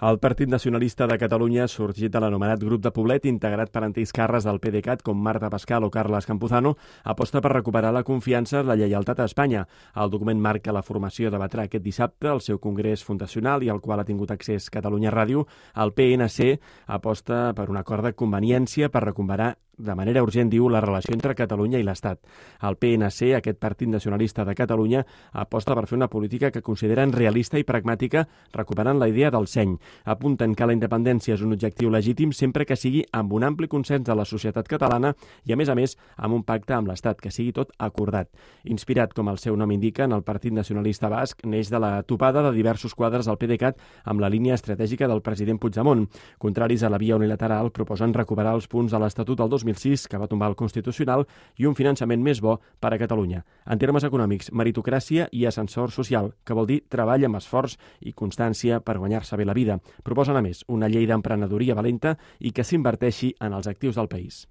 El Partit Nacionalista de Catalunya, sorgit de l'anomenat grup de Poblet, integrat per antics càrrecs del PDeCAT com Marta Pascal o Carles Campuzano, aposta per recuperar la confiança i la lleialtat a Espanya. El document marca la formació debatrà aquest dissabte al seu congrés fundacional i al qual ha tingut accés Catalunya Ràdio. El PNC aposta per un acord de conveniència per recuperar de manera urgent, diu, la relació entre Catalunya i l'Estat. El PNC, aquest Partit Nacionalista de Catalunya, aposta per fer una política que consideren realista i pragmàtica, recuperant la idea del seny. Apunten que la independència és un objectiu legítim sempre que sigui amb un ampli consens de la societat catalana i, a més, amb un pacte amb l'Estat, que sigui tot acordat. Inspirat, com el seu nom indica, en el Partit Nacionalista Basc, neix de la topada de diversos quadres del PDeCAT amb la línia estratègica del president Puigdemont. Contraris a la via unilateral, proposen recuperar els punts de l'Estatut del 2006, que va tombar el Constitucional, i un finançament més bo per a Catalunya. En termes econòmics, meritocràcia i ascensor social, que vol dir treball amb esforç i constància per guanyar-se bé la vida. Proposen, a més, una llei d'emprenedoria valenta i que s'inverteixi en els actius del país.